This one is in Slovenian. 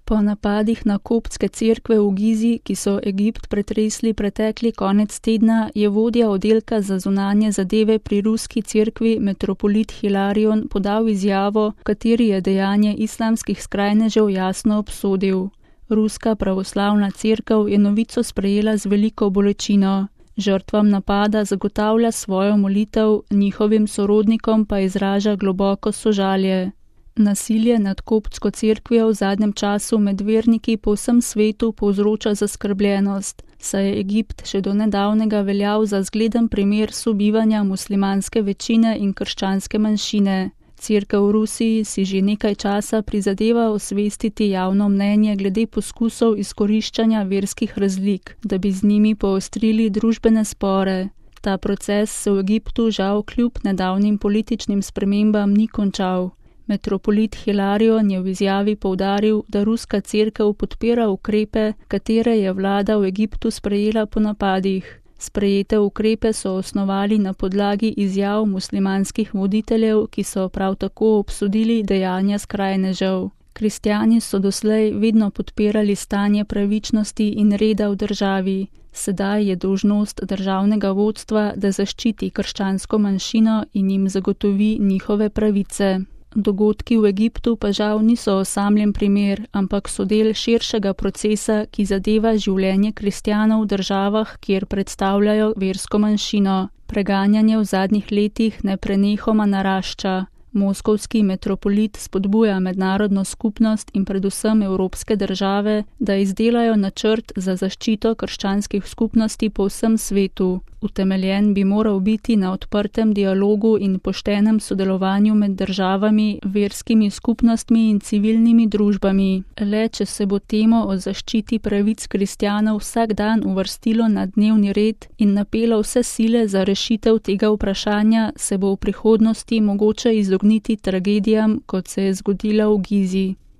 Po napadih na koptske cerkve v Gizi, ki so Egipt pretresli pretekli konec tedna, je vodja oddelka za zunanje zadeve pri ruski cerkvi metropolit Hilarion podal izjavo, v kateri je dejanje islamskih skrajnežev jasno obsodil. Ruska pravoslavna cerkev je novico sprejela z veliko bolečino. Žrtvam napada zagotavlja svojo molitev, njihovim sorodnikom pa izraža globoko sožalje. Nasilje nad koptsko cerkvijo v zadnjem času med verniki po vsem svetu povzroča zaskrbljenost, saj je Egipt še do nedavnega veljal za zgleden primer sobivanja muslimanske večine in krščanske manjšine. Cerkev v Rusiji si že nekaj časa prizadeva osvestiti javno mnenje glede poskusov izkoriščanja verskih razlik, da bi z njimi poostrili družbene spore. Ta proces se v Egiptu žal kljub nedavnim političnim spremembam ni končal. Metropolit Hilarion je v izjavi poudaril, da ruska cerkev podpira ukrepe, katere je vlada v Egiptu sprejela po napadih. Sprejete ukrepe so osnovali na podlagi izjav muslimanskih voditeljev, ki so prav tako obsodili dejanja skrajnežev. Kristjani so doslej vedno podpirali stanje pravičnosti in reda v državi. Sedaj je dolžnost državnega vodstva, da zaščiti krščansko manjšino in jim zagotovi njihove pravice. Dogodki v Egiptu pa žal niso osamljen primer, ampak so del širšega procesa, ki zadeva življenje kristjanov v državah, kjer predstavljajo versko manjšino. Preganjanje v zadnjih letih neprenehoma narašča. Moskovski metropolit spodbuja mednarodno skupnost in predvsem evropske države, da izdelajo načrt za zaščito krščanskih skupnosti po vsem svetu. Utemeljen bi moral biti na odprtem dialogu in poštenem sodelovanju med državami, verskimi skupnostmi in civilnimi družbami. Le če se bo temo o zaščiti pravic kristjanov vsak dan uvrstilo na dnevni red in napelo vse sile za rešitev tega vprašanja, se bo v prihodnosti mogoče izogniti tragedijam, kot se je zgodila v Gizi.